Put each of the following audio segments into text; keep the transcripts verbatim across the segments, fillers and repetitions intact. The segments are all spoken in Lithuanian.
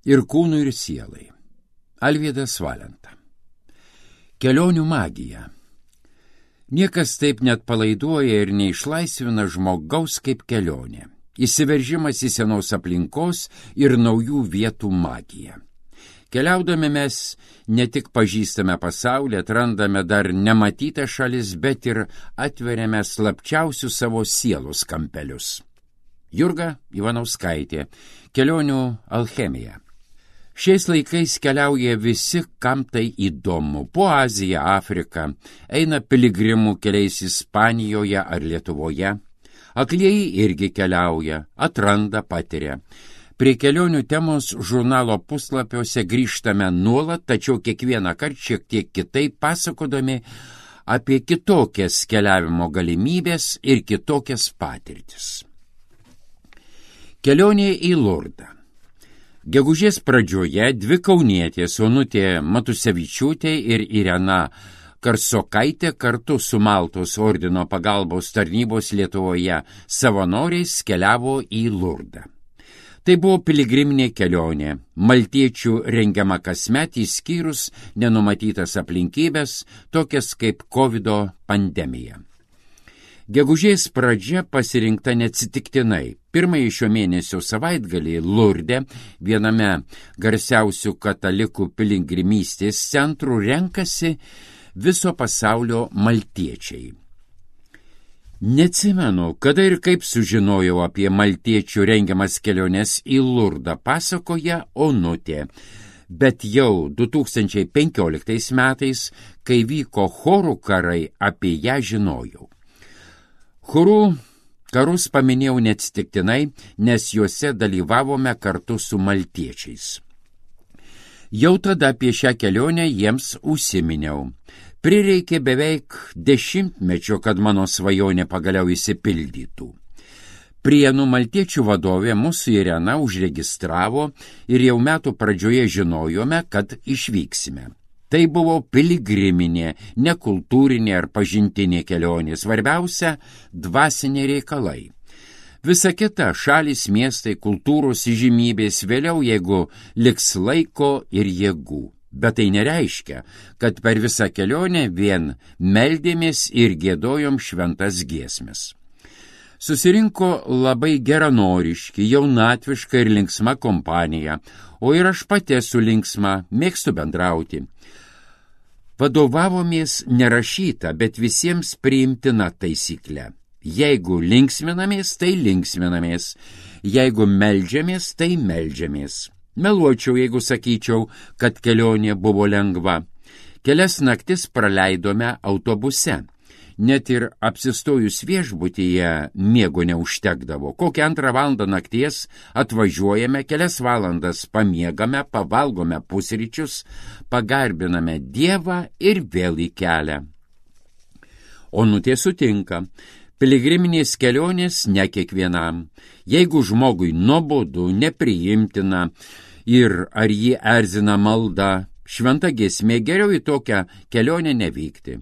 ir kūnui, ir sielai. Alvydas Valenta. Kelionių magija. Niekas taip net palaiduoja ir neišlaisvina žmogaus kaip kelionė. Įsiveržimas į senos aplinkos ir naujų vietų magiją. Keliaudami mes ne tik pažįstame pasaulį, atrandame dar nematytą šalis, bet ir atveriame slapčiausius savo sielos kampelius. Jurga Ivanauskaitė. Kelionių alchemija. Šiais laikais keliauja visi, kam tai įdomu. Po Aziją, Afriką, eina piligrimų keliais Ispanijoje ar Lietuvoje. Aklieji irgi keliauja, atranda, patiria. Prie kelionių temos žurnalo puslapiuose grįžtame nuolat, tačiau kiekvieną kartą šiek tiek kitaip pasakodami apie kitokias keliavimo galimybės ir kitokias patirtis. Kelionė į Lurdą. Gegužės pradžioje dvi kaunietės Onutė Matusevičiūtė ir Irena Karsokaitė kartu su Maltos ordino pagalbos tarnybos Lietuvoje savanoriais keliavo į Lurdą. Tai buvo piligriminė kelionė, maltiečių rengiama kasmet išskyrus nenumatytas aplinkybės, tokias kaip kovido pandemija. Gegužės pradžia pasirinkta neatsitiktinai. Pirmąjį šio mėnesio savaitgalį Lurde, viename garsiausių katalikų piligrimystės centrų, renkasi viso pasaulio maltiečiai. Neatsimenu, kada ir kaip sužinojau apie maltiečių rengiamas keliones į Lurdą, pasakoja Onutė. Bet jau du tūkstančiai penkioliktais metais, kai vyko chorų karai, apie ją žinojau. Chorų karus paminėjau neatsitiktinai, nes juose dalyvavome kartu su maltiečiais. Jau tada apie šią kelionę jiems užsiminiau. Prireikė beveik dešimtmečio, kad mano svajonė pagaliau išsipildytų. Prienų maltiečių vadovė mūsų Irena užregistravo ir jau metų pradžioje žinojome, kad išvyksime. Tai buvo piligriminė, nekultūrinė ar pažintinė kelionė, svarbiausia dvasiniai reikalai. Visa kita – šalis, miestai, kultūros įžymybės vėliau, jeigu liks laiko ir jėgų. Bet tai nereiškia, kad per visą kelionę vien meldėmės ir giedojom šventas giesmes. Susirinko labai geranoriški, jaunatviška ir linksma kompanija, o ir aš pati esu linksma, mėgstu bendrauti. Vadovavomės nerašyta, bet visiems priimtina taisyklė. Jeigu linksminamės, tai linksminamės. Jeigu meldžiamės, tai meldžiamės. Meluočiau, jeigu sakyčiau, kad kelionė buvo lengva. Kelias naktis praleidome autobuse. Net ir apsistojus viešbutyje miego neužtekdavo. Kokią antrą valandą nakties atvažiuojame, kelias valandas pamiegame, pavalgome pusryčius, pagarbiname Dievą ir vėl į kelią. Onutė sutinka. Piligriminės kelionės ne kiekvienam. Jeigu žmogui nuobodu, nepriimtina ir ar jį erzina malda, šventa giesmė, geriau į tokią kelionę nevykti.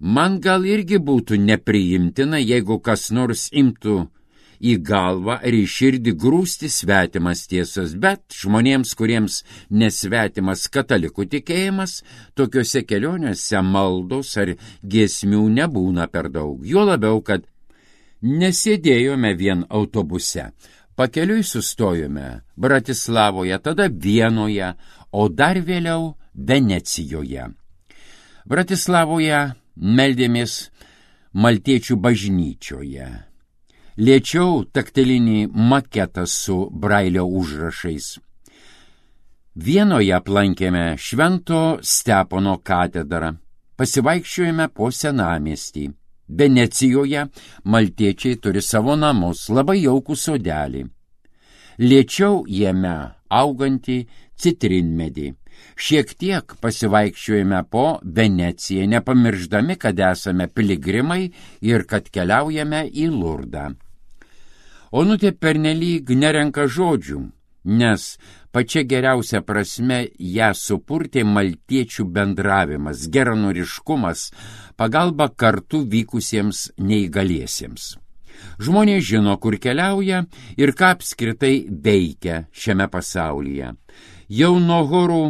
Man gal irgi būtų nepriimtina, jeigu kas nors imtų į galvą ar į širdį grūsti svetimas tiesas, bet žmonėms, kuriems nesvetimas katalikų tikėjimas, tokiuose kelionėse maldos ar giesmių nebūna per daug. Juo labiau, kad nesėdėjome vien autobuse. Pakeliui sustojome Bratislavoje, tada Vienoje, o dar vėliau Venecijoje. Bratislavoje meldėmės maltiečių bažnyčioje. Liečiau taktilinį maketą su brailio užrašais. Vienoje aplankėme Švento Stepono katedrą. Pasivaikščiojome po senamiestį. Venecijoje maltiečiai turi savo namus, labai jaukų sodelį. Liečiau jame augantį citrinmedį. Šiek tiek pasivaikščiojame po Veneciją, nepamirždami, kad esame piligrimai ir kad keliaujame į Lurdą. Onutė pernelyg nerenka žodžių, nes pačia geriausia prasme ją supurtė maltiečių bendravimas, geranoriškumas, pagalba kartu vykusiems neįgaliesiems. Žmonės žino, kur keliauja ir ką apskritai veikia šiame pasaulyje. Jau nuo horų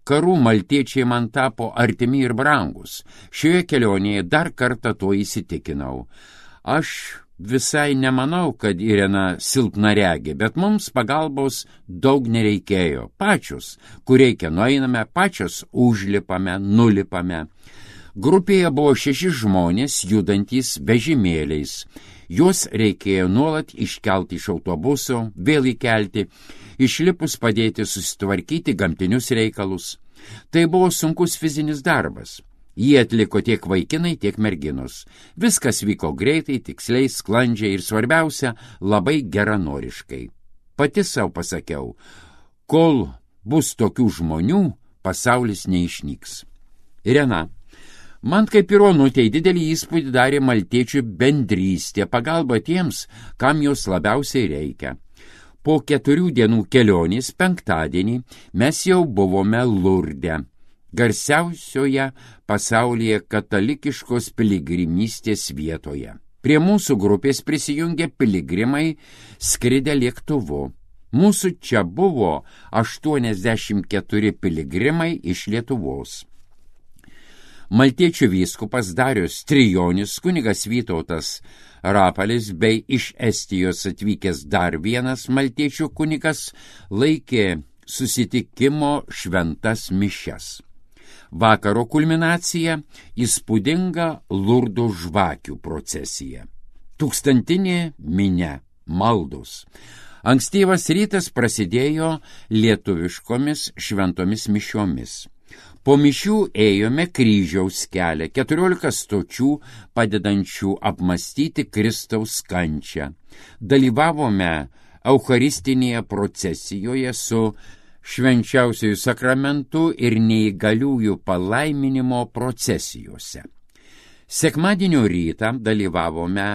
karų maltiečiai man tapo artimi ir brangus. Šioje kelionėje dar kartą to įsitikinau. Aš visai nemanau, kad Irena silpnaregė, bet mums pagalbos daug nereikėjo. Pačios, kur reikia, nueiname, pačios užlipame, nulipame. Grupėje buvo šeši žmonės, judantys vežimėliais. Juos reikėjo nuolat iškelti iš autobuso, vėl įkelti, išlipus padėti susitvarkyti gamtinius reikalus. Tai buvo sunkus fizinis darbas. Jį atliko tiek vaikinai, tiek merginos. Viskas vyko greitai, tiksliai, sklandžiai ir svarbiausia, labai geranoriškai. Pati savo pasakiau, kol bus tokių žmonių, pasaulis neišnyks. Irena. Man kaip ir Onutei didelį įspūdį darė maltiečių bendrystė, pagalba tiems, kam jos labiausiai reikia. Po keturių dienų kelionės penktadienį mes jau buvome Lurde, garsiausioje pasaulyje katalikiškos piligrimystės vietoje. Prie mūsų grupės prisijungė piligrimai skridę lėktuvu. Mūsų čia buvo aštuoniasdešimt keturi piligrimai iš Lietuvos. Maltiečių vyskupas Darius Trijonis, kunigas Vytautas Rapalis bei iš Estijos atvykęs dar vienas maltiečių kunigas laikė susitikimo šventas mišias. Vakaro kulminacija – įspūdinga Lurdo žvakių procesija. Tūkstantinė minia, maldos. Ankstyvas rytas prasidėjo lietuviškomis šventomis mišiomis. Po mišių ėjome kryžiaus kelią, keturiolika stočių padedančių apmąstyti Kristaus kančią. Dalyvavome eucharistinėje procesijoje su švenčiausiųjų sakramentų ir neįgaliųjų palaiminimo procesijose. Sekmadienio rytą dalyvavome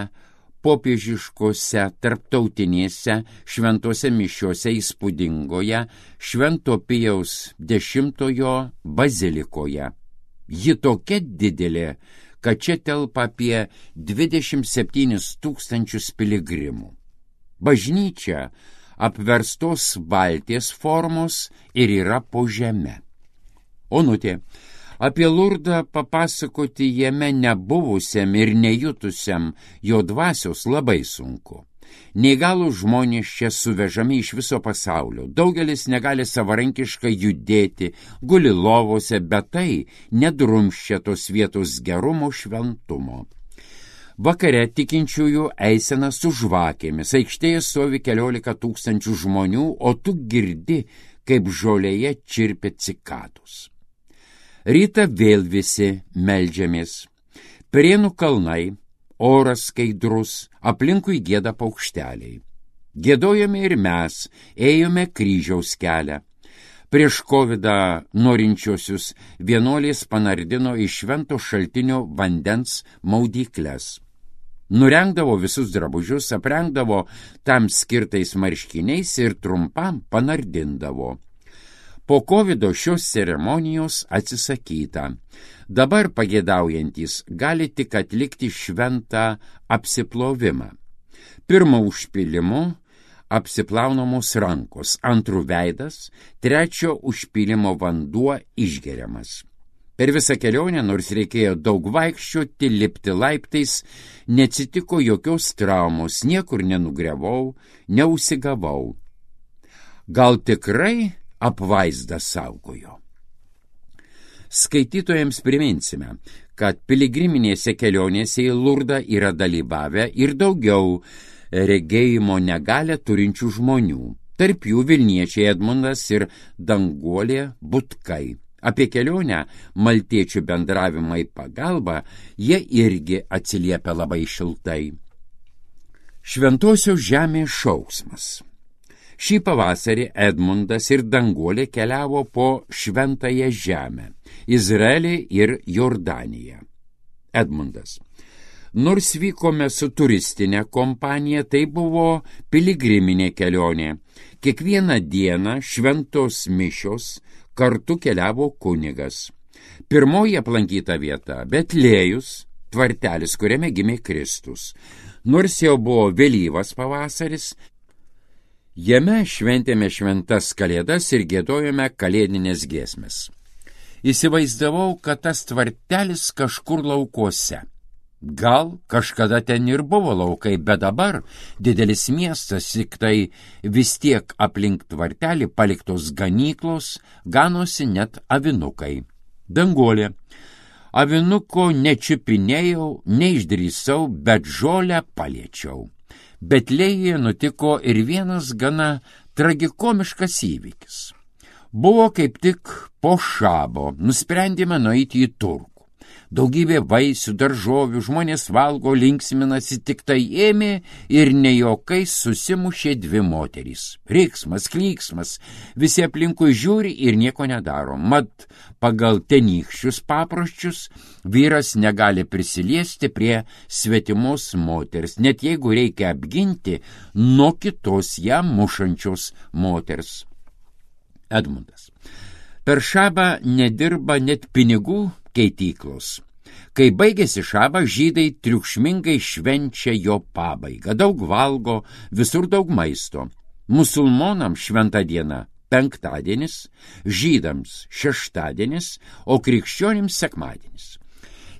popiežiškose tarptautinėse šventose mišiose įspūdingoje Švento Pijaus dešimtojo bazilikoje. Ji tokia didelė, kad čia telpa apie dvidešimt septynis tūkstančius piligrimų. Bažnyčia apverstos valties formos ir yra po žeme. Onutė, apie Lurdą papasakoti jame nebuvusiam ir nejutusiam jo dvasios labai sunku. Neįgalūs žmonės čia suvežami iš viso pasaulio. Daugelis negali savarankiškai judėti, guli lovose, bet tai nedrumščia tos vietos gerumo šventumo. Vakare tikinčiųjų eisena su žvakėmis. Aikštėje stovi keliolika tūkstančių žmonių, o tu girdi, kaip žolėje čirpia cikados. Rytą vėl visi meldžiamės. Prienų kalnai, oras skaidrus, aplinkui gieda paukšteliai. Giedojame ir mes, ėjome kryžiaus kelią. Prieš kovidą norinčiosius vienuolės panardino iš švento šaltinio vandens maudykles. Nurengdavo visus drabužius, aprengdavo tam skirtais marškiniais ir trumpam panardindavo. Po kovido šios ceremonijos atsisakyta. Dabar pagėdaujantys gali tik atlikti šventą apsiplovimą. Pirmo užpylimu apsiplaunamos rankos, antrų veidas, trečio užpylimo vanduo išgeriamas. Per visą kelionę, nors reikėjo daug vaikščioti, lipti laiptais, neatsitiko jokios traumos, niekur nenugriavau, neužsigavau. Gal tikrai apvaizdą saugojo. Skaitytojams priminsime, kad piligriminėse kelionėse į Lurdą yra dalyvavę ir daugiau regėjimo negalią turinčių žmonių, tarp jų Vilniečiai Edmundas ir Danguolė Butkai. Apie kelionę maltiečių bendravimą į pagalbą jie irgi atsiliepia labai šiltai. Šventosios žemės šauksmas. Šį pavasarį Edmundas ir Danguolė keliavo po šventąją žemę, Izraelį ir Jordaniją. Edmundas. Nors vykome su turistinė kompanija, tai buvo piligriminė kelionė. Kiekvieną dieną šventos mišios kartu keliavo kunigas. Pirmoji aplankyta vieta – Betlėjus, tvartelis, kuriame gimė Kristus. Nors jau buvo vėlyvas pavasaris, Edmundas ir Danguolė keliavo po šventąją žemę, Izraelį ir Jordaniją. Edmundas. Nors vykome su turistinė kompanija, tai buvo piligriminė kelionė. Kiekvieną dieną šventos mišios kartu keliavo kunigas. Pirmoji aplankyta vieta – Betlėjus, tvartelis, kuriame gimė Kristus. Jame šventėme šventas kalėdas ir giedojome kalėdinės giesmes. Įsivaizdavau, kad tas tvartelis kažkur laukuose. Gal kažkada ten ir buvo laukai, bet dabar didelis miestas, tik tai vis tiek aplink tvartelį paliktos ganyklos, ganosi net avinukai. Danguolė. Avinuko nečiupinėjau, neišdrįsau, bet žolę paliečiau. Betlėjuje nutiko ir vienas gana tragikomiškas įvykis. Buvo kaip tik po šabo, nusprendėme nueiti į turgų. Daugybė vaisių, daržovių, žmonės valgo, linksminasi, tik tai ėmė ir nejaukai susimušė dvi moterys. Riksmas, klyksmas, visi aplinkui žiūri ir nieko nedaro. Mat, pagal tenykščius paproščius vyras negali prisiliesti prie svetimos moters, net jeigu reikia apginti nuo kitos jam mušančios moters. Edmundas. Per šabą nedirba net pinigų keityklos. Kai baigėsi šabas, žydai triukšmingai švenčia jo pabaigą. Daug valgo, visur daug maisto. Musulmonams šventa diena penktadienis, žydams šeštadienis, o krikščionims sekmadienis.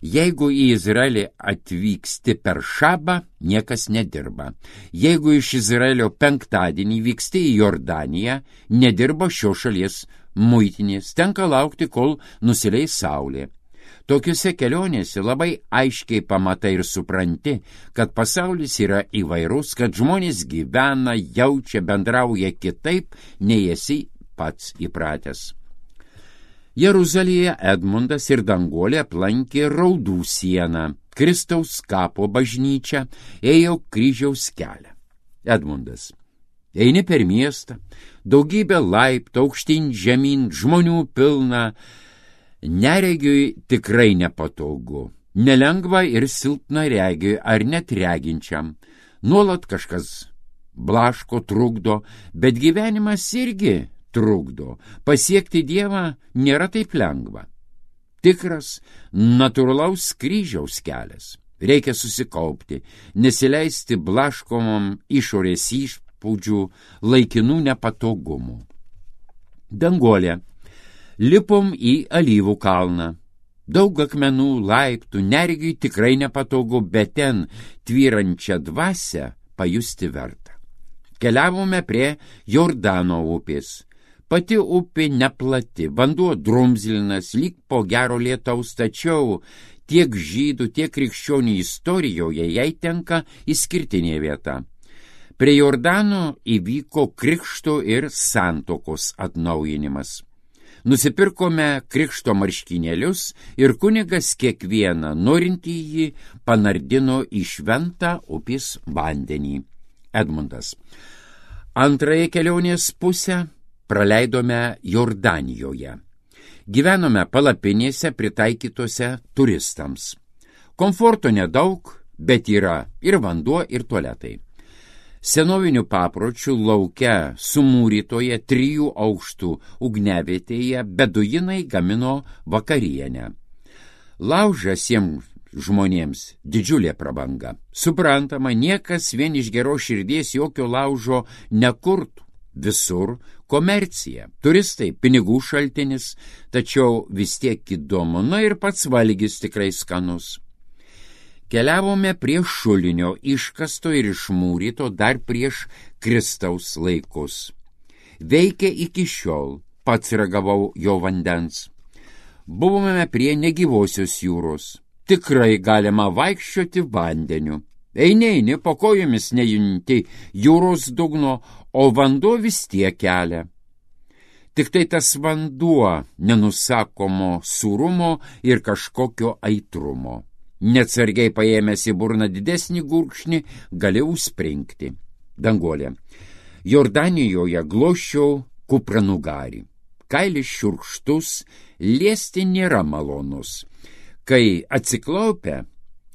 Jeigu į Izraelį atvyksti per šabą, niekas nedirba. Jeigu iš Izraelio penktadienį vyksti į Jordaniją, nedirba šios šalies muitinės, tenka laukti, kol nusileis saulė. Tokiuose kelionėse labai aiškiai pamatai ir supranti, kad pasaulis yra įvairus, kad žmonės gyvena, jaučia, bendrauja kitaip, nei esi pats įpratęs. Jeruzalėje Edmundas ir Danguolė aplankė Raudų sieną, Kristaus kapo bažnyčią, ėjo kryžiaus kelią. Edmundas. Eini per miestą, daugybė laiptų, aukštyn žemyn, žmonių pilna. Neregiui tikrai nepatogu, nelengva ir silpnaregiui ar net reginčiam. Nuolat kažkas blaško, trukdo, bet gyvenimas irgi trukdo. Pasiekti Dievą nėra taip lengva. Tikras, natūralaus kryžiaus kelias. Reikia susikaupti, nesileisti blaškomam išorės įspūdžių, laikinų nepatogumų. Danguolė. Lipom į Alyvų kalną. Daug akmenų, laiptų, neregiui tikrai nepatogu, bet ten tvyrančią dvasią pajusti verta. Keliavome prie Jordano upės. Pati upė neplati, vanduo drumzlinas, lyg po gero lietaus, tačiau tiek žydų, tiek krikščionių istorijoje jai tenka išskirtinė vieta. Prie Jordano įvyko krikšto ir santokos atnaujinimas. Nusipirkome krikšto marškinėlius ir kunigas kiekvieną norintį jį panardino į šventą upės vandenį. Edmundas. Antrąją kelionės pusę praleidome Jordanijoje. Gyvenome palapinėse pritaikytose turistams. Komforto nedaug, bet yra ir vanduo, ir tualetai. Senovinių papročių lauke sumūrytoje trijų aukštų ugniavietėje beduinai gamino vakarienę. Laužas jiems žmonėms didžiulė prabanga. Suprantama, niekas vien iš geros širdies jokio laužo nekurtų. Visur komercija, turistai, pinigų šaltinis, tačiau vis tiek įdomu, na ir pats valgis tikrai skanus. Keliavome prie šulinio, iškasto ir išmūryto dar prieš Kristaus laikus. Veikia iki šiol, pats ragavau jo vandens. Buvome prie negyvosios jūros. Tikrai galima vaikščioti vandeniu. Eini, eini, po kojomis nejunti jūros dugno, o vanduo vis tiek kelia. Tik tai tas vanduo nenusakomo sūrumo ir kažkokio aitrumo. Neatsargiai paėmęs į burną didesnį gurkšnį, gali užspringti. Danguolė. Jordanijoje glosčiau kupranugarį. Kailis šiurkštus, liesti nėra malonus. Kai atsiklaupia,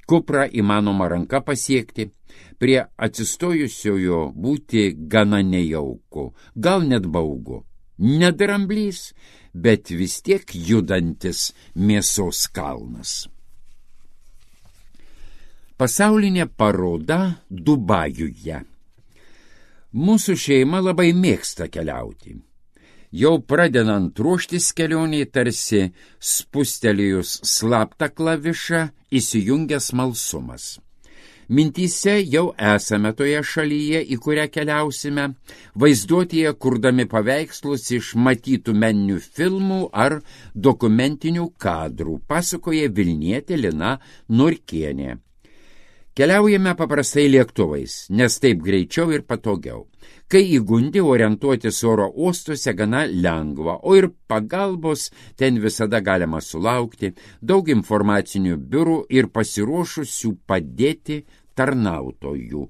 kuprą įmanoma ranka pasiekti, prie atsistojusiojo būti gana nejauku, gal net baugu. Nedramblys, bet vis tiek judantis mėsos kalnas. Pasaulinė paroda Dubajuje. Mūsų šeima labai mėgsta keliauti. Jau pradedant ruoštis kelioniai, tarsi spustelėjus slaptą klavišą, įsijungia smalsumas. Mintyse jau esame toje šalyje, į kurią keliausime, vaizduotėje kurdami paveikslus iš matytų meninių filmų ar dokumentinių kadrų, pasakoja Vilnietė Lina Norkienė. Keliaujame paprastai lėktuvais, nes taip greičiau ir patogiau. Kai įgundi, orientuotis oro uostuose gana lengva, o ir pagalbos ten visada galima sulaukti, daug informacinių biurų ir pasiruošusių padėti tarnautojų.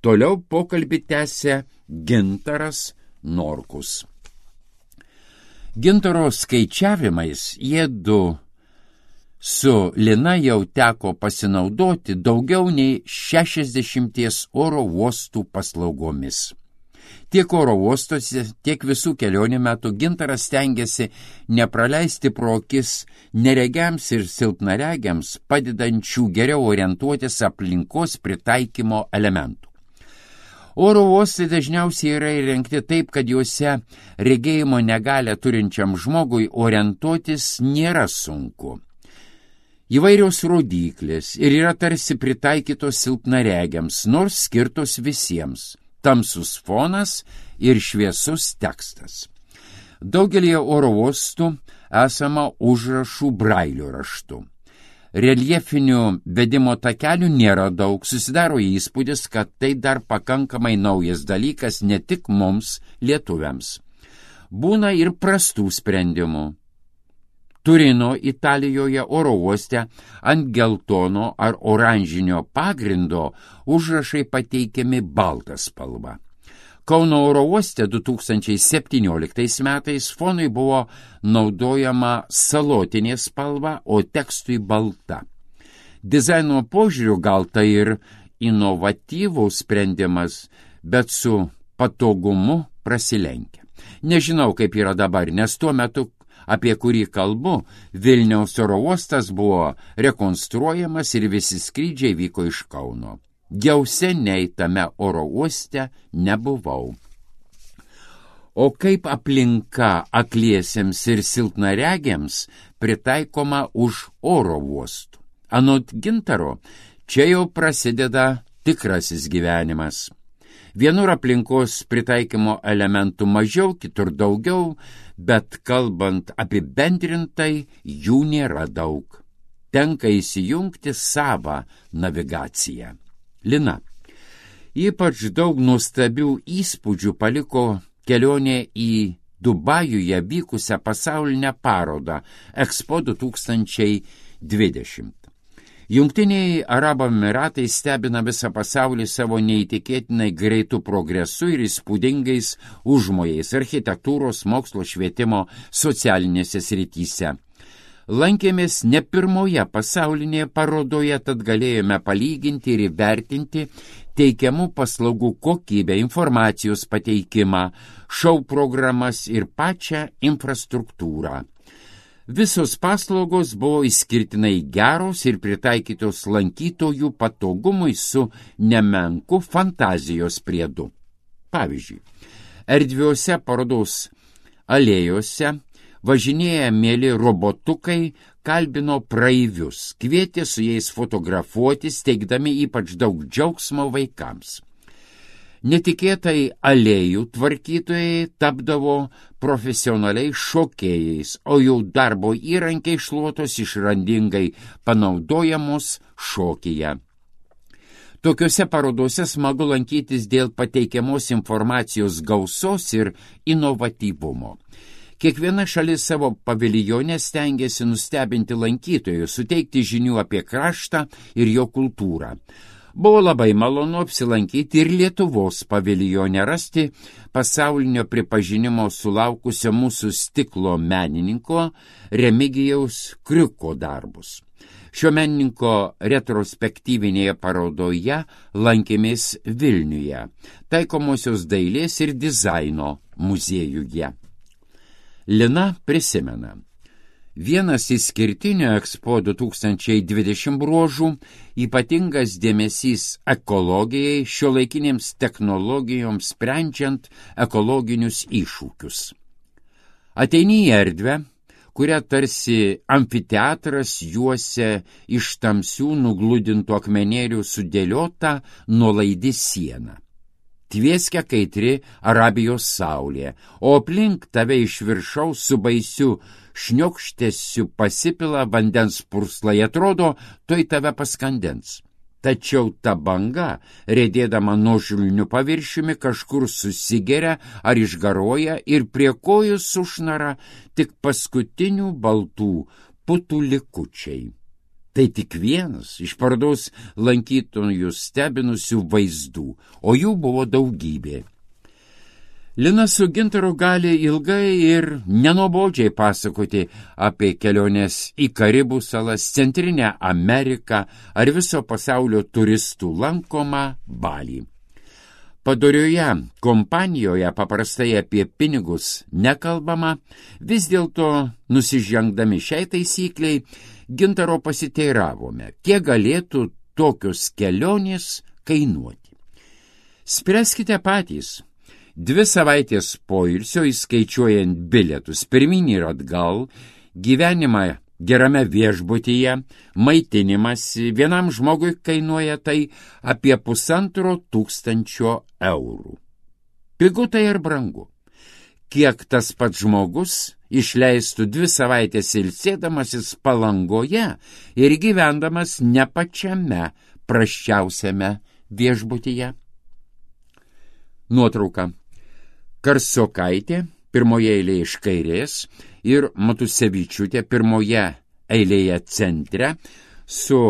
Toliau pokalbį tęsia Gintaras Norkus. Gintaro skaičiavimais jiedu su Lina jau teko pasinaudoti daugiau nei šešiasdešimties oro uostų paslaugomis. Tiek oro uostuose, tiek visų kelionių metų Gintaras stengiasi nepraleisti pro akis neregiams ir silpnaregiams padedančių geriau orientuotis aplinkos pritaikymo elementų. Oro uostai dažniausiai yra įrengti taip, kad juose regėjimo negalią turinčiam žmogui orientuotis nėra sunku. Įvairios rodyklės ir yra tarsi pritaikytos silpnaregiams, nors skirtos visiems. Tamsus fonas ir šviesus tekstas. Daugelį oro uostų esama užrašų brailio raštu. Reljefinių vedimo takelių nėra daug, susidaro įspūdis, kad tai dar pakankamai naujas dalykas ne tik mums, lietuviams. Būna ir prastų sprendimų. Turino, Italijoje oro uoste ant geltono ar oranžinio pagrindo užrašai pateikiami balta spalva. Kauno oro uoste du tūkstančiai septynioliktais metais fonui buvo naudojama salotinė spalva, o tekstui balta. Dizaino požiūriu gal tai ir inovatyvus sprendimas, bet su patogumu prasilenkia. Nežinau, kaip yra dabar, nes tuo metu, apie kurį kalbu, Vilniaus oro uostas buvo rekonstruojamas ir visi skrydžiai vyko iš Kauno. Jau seniai tame oro uoste nebuvau. O kaip aplinka akliesiems ir silpnaregiams pritaikoma už oro uostų? Anot Gintaro, čia jau prasideda tikrasis gyvenimas. Vienur aplinkos pritaikymo elementų mažiau, kitur daugiau, bet kalbant apibendrintai, jų nėra daug. Tenka įsijungti savą navigaciją. Lina. Ypač daug nuostabių įspūdžių paliko kelionė į Dubajuje vykusią pasaulinę parodą Expo du tūkstančiai dvidešimt. Jungtiniai Arabų Emyratai stebina visą pasaulį savo neįtikėtinai greitų progresų ir įspūdingais užmojais architektūros, mokslo, švietimo, socialinėse srityse. Lankėmės ne pirmoje pasaulinėje parodoje, tad galėjome palyginti ir įvertinti teikiamų paslaugų kokybę, informacijos pateikimą, šou programas ir pačią infrastruktūrą. Visos paslaugos buvo išskirtinai geros ir pritaikytos lankytojų patogumui su nemenku fantazijos priedu. Pavyzdžiui, erdviuose parodos alėjose važinėję mėly robotukai kalbino praeivius, kvietė su jais fotografuotis, teikdami ypač daug džiaugsmo vaikams. Netikėtai alėjų tvarkytojai tapdavo profesionaliai šokėjais, o jų darbo įrankiai šluotos išrandingai panaudojamos šokyje. Tokiuose parodose smagu lankytis dėl pateikiamos informacijos gausos ir inovatyvumo. Kiekviena šalis savo paviljone stengiasi nustebinti lankytojus, suteikti žinių apie kraštą ir jo kultūrą. Buvo labai malonu apsilankyti ir Lietuvos paviljone, rasti pasaulinio pripažinimo sulaukusio mūsų stiklo menininko Remigijaus Kriuko darbus. Šio menininko retrospektyvinėje parodoje lankėmės Vilniuje, taikomosios dailės ir dizaino muziejuje. Lina prisimena. Vienas išskirtinių Expo du tūkstančiai dvidešimt bruožų – ypatingas dėmesys ekologijai, šiuolaikinėms technologijoms sprendžiant ekologinius iššūkius. Ateini į erdvę, kurią tarsi amfiteatras juosia iš tamsių nugludintų akmenėlių sudėliota nuolaidi siena. Tvieskia kaitri Arabijos saulė, o aplink tave iš viršaus su baisiu šniokštesiu pasipila vandens purslai, atrodo, toj tave paskandens. Tačiau ta banga, rėdėdama nuožulniu paviršiumi, kažkur susigeria ar išgaroja ir prie kojų sušnara tik paskutinių baltų putų likučiai. Tai tik vienas iš parodos lankytojus stebinusių vaizdų, o jų buvo daugybė. Lina su Gintaru gali ilgai ir nenuobodžiai pasakoti apie keliones į Karibų salas, Centrinę Ameriką ar viso pasaulio turistų lankomą Balį. Padorioje kompanijoje paprastai apie pinigus nekalbama, vis dėlto nusižengdami šiai taisykliai, Gintaro pasiteiravome, kiek galėtų tokios kelionės kainuoti. Spręskite patys. Dvi savaitės poilsio, įskaičiuojant bilietus pirmyn ir atgal, gyvenimą gerame viešbutyje, maitinimasi vienam žmogui kainuoja tai apie pusantro tūkstančio eurų. Pigu tai ir brangu. Kiek tas pats žmogus išleistų dvi savaitės ilsėdamasis Palangoje ir gyvendamas ne pačiame prasčiausiame viešbutyje. Nuotrauka. Karsokaitė pirmoje eilėje iš kairės ir Matusevičiūtė pirmoje eilėje centre su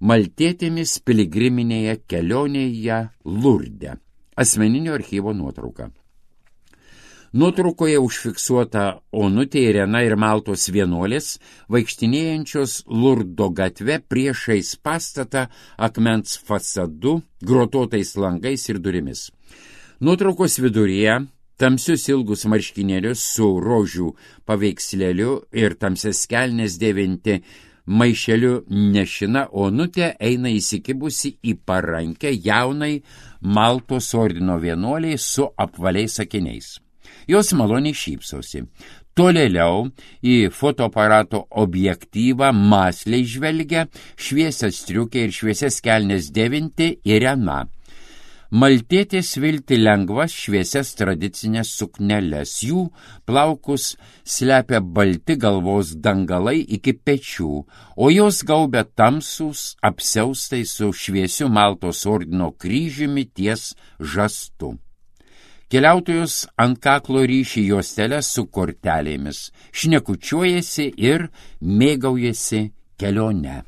maltietėmis piligriminėje kelionėje Lurde. Asmeninio archyvo nuotrauka. Nuotraukoje užfiksuota Onutė, Irena ir Maltos vienuolės, vaikštinėjančios Lurdo gatve priešais pastatą akmens fasadu, grotuotais langais ir durimis. Nuotraukos viduryje tamsius ilgus marškinėlius su rožių paveikslėliu ir tamsias kelnes dėvinti maišeliu nešina Onutė eina įsikibusi į parankę jaunai Maltos ordino vienuoliai su apvaliais akiniais. Jos maloniai šypsosi. Tolėliau į fotoaparato objektyvą mąsliai žvelgia šviesias striukė ir šviesias kelnes dėvinti Irena. Maltietės vilti lengvas šviesias tradicinės sukneles. Jų plaukus slepia balti galvos dangalai iki pečių, o jos gaubia tamsūs apsiaustai su šviesiu Maltos ordino kryžiumi ties žastu. Keliautojus ant kaklo ryši juostelę su kortelėmis, šnekučiuojasi ir mėgaujasi kelione.